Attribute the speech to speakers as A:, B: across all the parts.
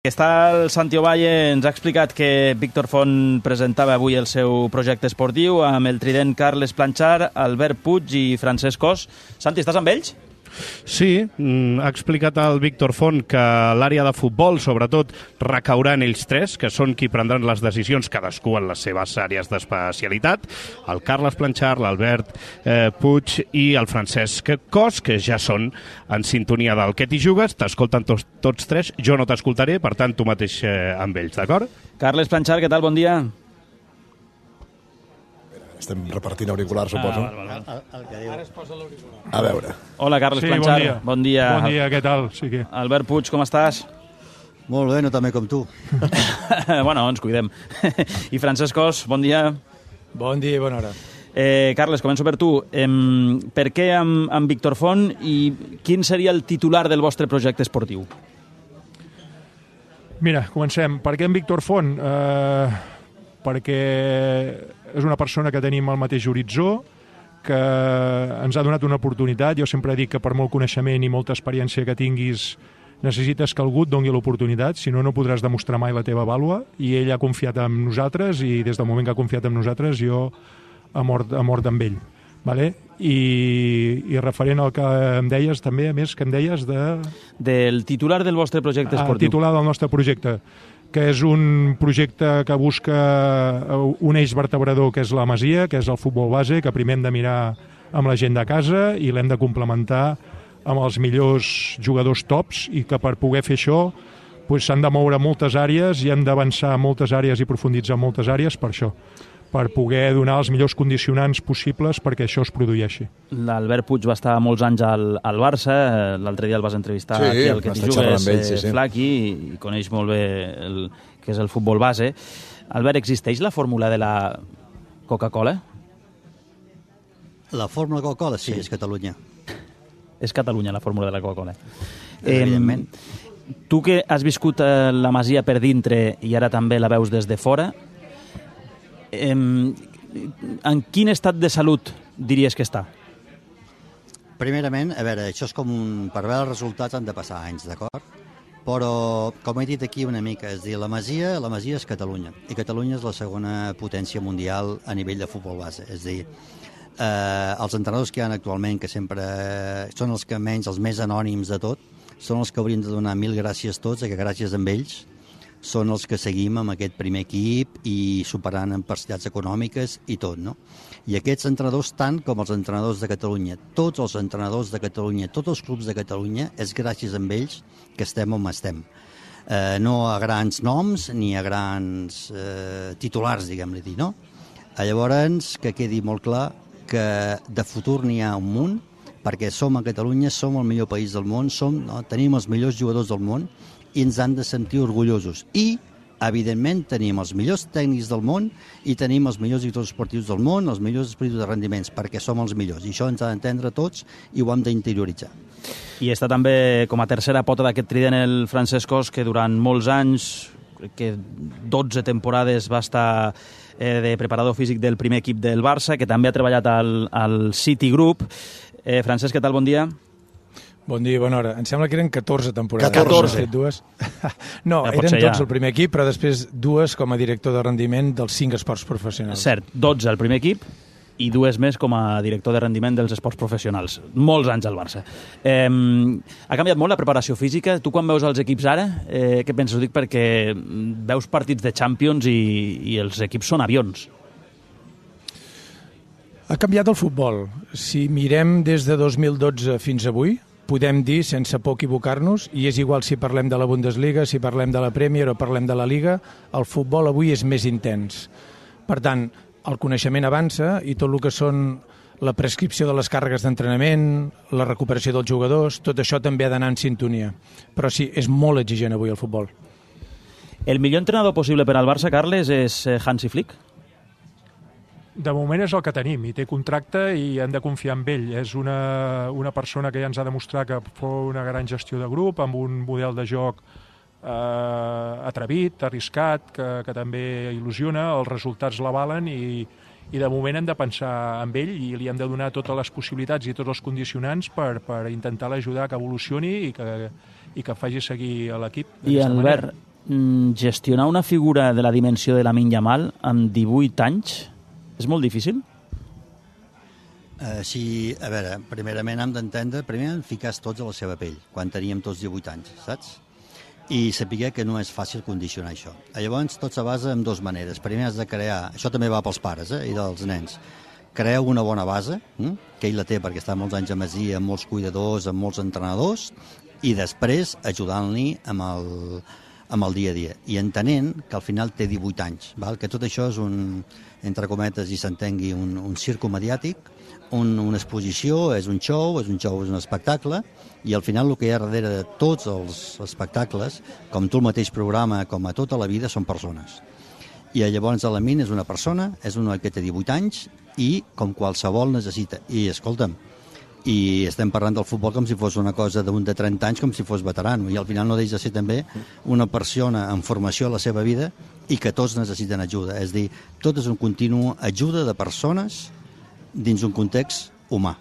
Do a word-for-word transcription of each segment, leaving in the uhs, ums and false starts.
A: Està el Santi Ovalle, ens ha explicat que Víctor Font presentava avui el seu projecte esportiu amb el trident Carles Planchar, Albert Puig i Francesc Cos. Santi, estàs amb ells?
B: Sí, ha explicat el Víctor Font que l'àrea de futbol, sobretot, recaurà en ells tres, que són qui prendran les decisions, cadascú en les seves àrees d'especialitat, el Carles Planchar, l'Albert eh, Puig i el Francesc Cos, que ja són en sintonia del que t'hi jugues, t'escolten tots, tots tres, jo no t'escoltaré, per tant, tu mateix eh, amb ells, d'acord?
A: Carles Planchar, què tal? Bon dia.
C: Estem repartint auriculars, suposo.
A: Ah, val, val.
D: El, el que diu. Ara es posa l'auricular.
C: A veure.
A: Hola, Carles
E: sí,
A: Planchar.
E: Bon dia.
A: Bon dia.
E: Bon dia, què tal? Sí que...
A: Albert Puig, com estàs?
D: Molt bé, no també com tu.
A: Bueno, ens cuidem. I Francesc Cos, bon dia.
F: Bon dia i bona hora.
A: Eh, Carles, començo per tu. Eh, per què amb, amb Víctor Font i quin seria el titular del vostre projecte esportiu?
E: Mira, comencem. Per què amb Víctor Font? Eh, perquè és una persona que tenim al mateix horitzó, que ens ha donat una oportunitat. Jo sempre dic que per molt coneixement i molta experiència que tinguis necessites que algú et doni l'oportunitat, si no, no podràs demostrar mai la teva vàlua, i ell ha confiat en nosaltres i des del moment que ha confiat en nosaltres jo he mort, he mort amb ell. Vale? I, i referent al que em deies també, a més, que em deies de...
A: Del titular del vostre projecte esportiu.
E: El titular del nostre projecte, que és un projecte que busca un eix vertebrador, que és la Masia, que és el futbol base, que primer hem de mirar amb la gent de casa i l'hem de complementar amb els millors jugadors tops, i que per poder fer això doncs, s'han de moure moltes àrees i hem d'avançar moltes àrees i profunditzar moltes àrees per això, per poder donar els millors condicionants possibles perquè això es produeixi.
A: L'Albert Puig va estar molts anys al, al Barça, l'altre dia el vas entrevistar
C: sí,
A: aquí al Que t'hi jugues,
C: ell, sí, sí.
A: Flaqui, i coneix molt bé el que és el futbol base. Albert, existeix la fórmula de la Coca-Cola?
D: La fórmula Coca-Cola, sí, sí, és Catalunya.
A: És Catalunya, la fórmula de la Coca-Cola.
D: Evidentment.
A: Eh, tu que has viscut la Masia per dintre i ara també la veus des de fora, eh, en quin estat de salut diries que està?
D: Primerament, a veure, això és com un... Per veure els resultats han de passar anys, d'acord? Però, com he dit aquí una mica, és dir, la Masia, la Masia és Catalunya, i Catalunya és la segona potència mundial a nivell de futbol base. És dir, eh, els entrenadors que hi ha actualment, que sempre són els que menys, els més anònims de tot, són els que haurien de donar mil gràcies tots, que gràcies a ells són els que seguim amb aquest primer equip i superant adversitats econòmiques i tot, no? I aquests entrenadors, tant com els entrenadors de Catalunya, tots els entrenadors de Catalunya, tots els clubs de Catalunya, és gràcies a ells que estem on estem. Eh, no a grans noms ni a grans eh, titulars, diguem-li dir, no? Llavors, que quedi molt clar que de futur n'hi ha un munt, perquè som a Catalunya, som el millor país del món, som, no? Tenim els millors jugadors del món, i ens han de sentir orgullosos. I, evidentment, tenim els millors tècnics del món i tenim els millors directors esportius del món, els millors espiritus de rendiments, perquè som els millors. I això ens ha d'entendre tots i ho hem d'interioritzar.
A: I està també com a tercera pota d'aquest trident el Francesc Cos, que durant molts anys, que dotze temporades va estar eh, de preparador físic del primer equip del Barça, que també ha treballat al, al City Group. Eh, Francesc, què tal? Bon dia.
F: Bon dia i bona hora. Em sembla que eren catorze temporades.
C: catorze.
F: Dues. No,
A: ja
F: eren tots
A: ja.
F: el primer equip, però després dues com a director de rendiment dels cinc esports professionals.
A: Cert, dotze al primer equip i dues més com a director de rendiment dels esports professionals. Molts anys al Barça. Eh, ha canviat molt la preparació física? Tu quan veus els equips ara, eh, què penses? Ho dic perquè veus partits de Champions i, i els equips són avions.
F: Ha canviat el futbol. Si mirem des de dos mil dotze fins avui, podem dir, sense por equivocar-nos, i és igual si parlem de la Bundesliga, si parlem de la Premier o parlem de la Liga, el futbol avui és més intens. Per tant, el coneixement avança i tot el que són la prescripció de les càrregues d'entrenament, la recuperació dels jugadors, tot això també ha d'anar en sintonia. Però sí, és molt exigent avui el futbol.
A: El millor entrenador possible per al Barça, Carles, és Hansi Flick?
E: De moment és el que tenim, i té contracte i hem de confiar en ell. És una, una persona que ja ens ha demostrat que fou una gran gestió de grup, amb un model de joc eh, atrevit, arriscat, que, que també il·lusiona, els resultats l'avalen i, i de moment hem de pensar en ell i li hem de donar totes les possibilitats i tots els condicionants per, per intentar l'ajudar que evolucioni i que, i que faci seguir a l'equip.
A: I Albert, gestionar una figura de la dimensió de Lamine Yamal amb divuit anys és molt difícil?
D: Uh, sí, a veure, primerament hem d'entendre, primer hem ficat tots a la seva pell, quan teníem tots divuit anys, saps? I saber que no és fàcil condicionar això. Llavors, tot se basa en dues maneres. Primer has de crear, això també va pels pares eh, i dels nens, crear una bona base, hm? que ell la té perquè està molts anys a Masia, amb molts cuidadors, amb molts entrenadors, i després ajudant-li amb el, amb el dia a dia. I entenent que al final té divuit anys, val? Que tot això és un, entre cometes, i s'entengui, un, un circo mediàtic, un, una exposició, és un show, és un show, és un espectacle, i al final el que hi ha darrere de tots els espectacles, com tu el mateix programa, com a tota la vida, són persones. I llavors Lamine és una persona, és un noi que té divuit anys, i com qualsevol necessita. I escolta'm, i estem parlant del futbol com si fos una cosa d'un de trenta anys, com si fos veterano, i al final no deixa de ser també una persona en formació a la seva vida i que tots necessiten ajuda. És a dir, tot és un continu ajuda de persones dins un context humà.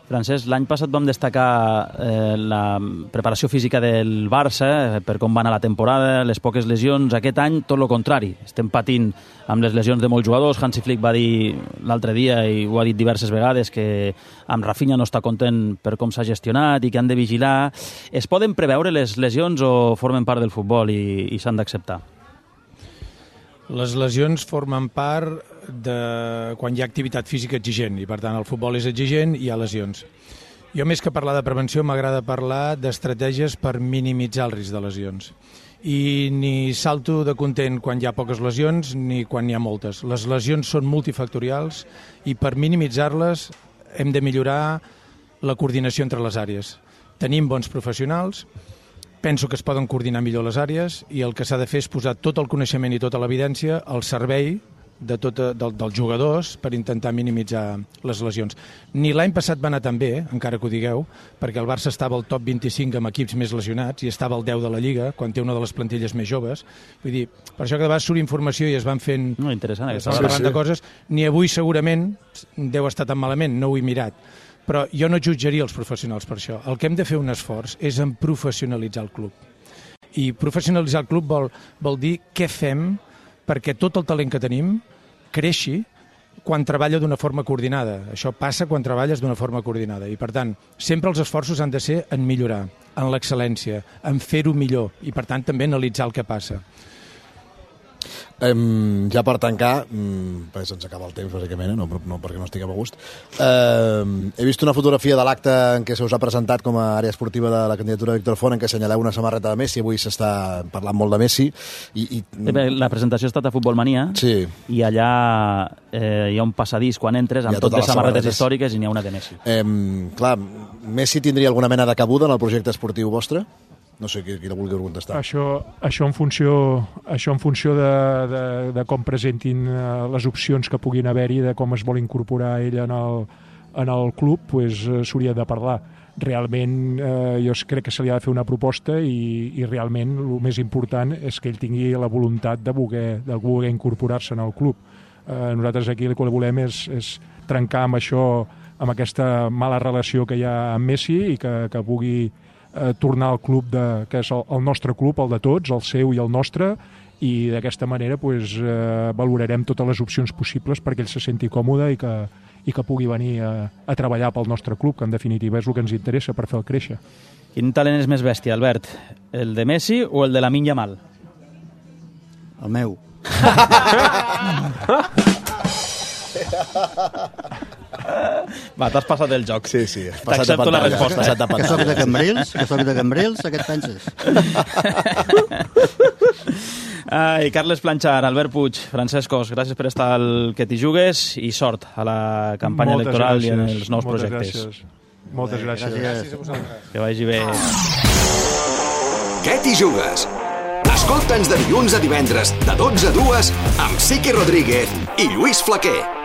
A: Francesc, l'any passat vam destacar eh, la preparació física del Barça, eh, per com va anar la temporada, les poques lesions. Aquest any, tot el contrari. Estem patint amb les lesions de molts jugadors. Hansi Flick va dir l'altre dia, i ho ha dit diverses vegades, que amb Rafinha no està content per com s'ha gestionat i que han de vigilar. Es poden preveure les lesions o formen part del futbol i, i s'han d'acceptar?
F: Les lesions formen part de quan hi ha activitat física exigent i per tant el futbol és exigent i hi ha lesions. Jo més que parlar de prevenció m'agrada parlar d'estratègies per minimitzar el risc de lesions. I ni salto de content quan hi ha poques lesions ni quan n'hi ha moltes. Les lesions són multifactorials i per minimitzar-les hem de millorar la coordinació entre les àrees. Tenim bons professionals, penso que es poden coordinar millor les àrees i el que s'ha de fer és posar tot el coneixement i tota l'evidència al servei de tot, de, dels jugadors per intentar minimitzar les lesions. Ni l'any passat va anar tan bé, encara que ho digueu, perquè el Barça estava al top vint-i-cinc amb equips més lesionats i estava al deu de la Lliga, quan té una de les plantilles més joves. Vull dir, per això que de vegades surt informació i es van fent...
A: No, interessant,
F: es van parlant de coses. Ni avui segurament deu estar tan malament, no ho he mirat. Però jo no jutjaria els professionals per això. El que hem de fer un esforç és en professionalitzar el club. I professionalitzar el club vol, vol dir què fem perquè tot el talent que tenim creixi quan treballa d'una forma coordinada. Això passa quan treballes d'una forma coordinada. I, per tant, sempre els esforços han de ser en millorar, en l'excel·lència, en fer-ho millor i, per tant, també analitzar el que passa.
C: Um, ja per tancar, um, perquè se'ns acaba el temps, bàsicament, no, no perquè no estiguem a gust, uh, he vist una fotografia de l'acte en què se us ha presentat com a àrea esportiva de la candidatura de Víctor Font, en què assenyaleu una samarreta de Messi. Avui s'està parlant molt de Messi. I, i...
A: La presentació ha estat a Futbol Mania,
C: sí. I
A: allà eh, hi ha un passadís quan entres amb tot de samarretes històriques i n'hi ha una de Messi.
C: Um, clar, Messi tindria alguna mena de cabuda en el projecte esportiu vostre? No sé qui, qui la vulgui contestar.
E: Això, això en funció, això en funció de, de, de com presentin les opcions que puguin haver-hi, de com es vol incorporar ell en el, en el club, pues, s'hauria de parlar. Realment, eh, jo crec que se li ha de fer una proposta i, i realment el més important és que ell tingui la voluntat de voler, de voler incorporar-se en el club. Eh, nosaltres aquí el que volem és, és trencar amb això, amb aquesta mala relació que hi ha amb Messi i que, que pugui Eh, tornar al club de, que és el, el nostre club, el de tots, el seu i el nostre, i d'aquesta manera pues, eh, valorarem totes les opcions possibles perquè ell se senti còmode i que, i que pugui venir a, a treballar pel nostre club, que en definitiva és el que ens interessa per fer el créixer.
A: Quin talent és més bèstia, Albert? El de Messi o el de Lamine Yamal?
D: El meu.
A: Va, t'has passat el joc.
C: Sí, sí.
A: T'accepto la resposta.
D: Eh? Que soc de Cambrils? Que soc de Cambrils? A què et penses?
A: Ai, Carles Planchar, Albert Puig, Francesc Cos, gràcies per estar al Que t'hi jugues i sort a la campanya
E: Moltes
A: electoral
E: gràcies.
A: I en els nous
E: Moltes
A: projectes.
E: Gràcies. Moltes gràcies.
D: Gràcies a vosaltres.
A: Que vagi bé.
G: Què t'hi jugues? Escolta'ns de dilluns a divendres, de dotze a dues, amb Siqui Rodríguez i Lluís Flaquer.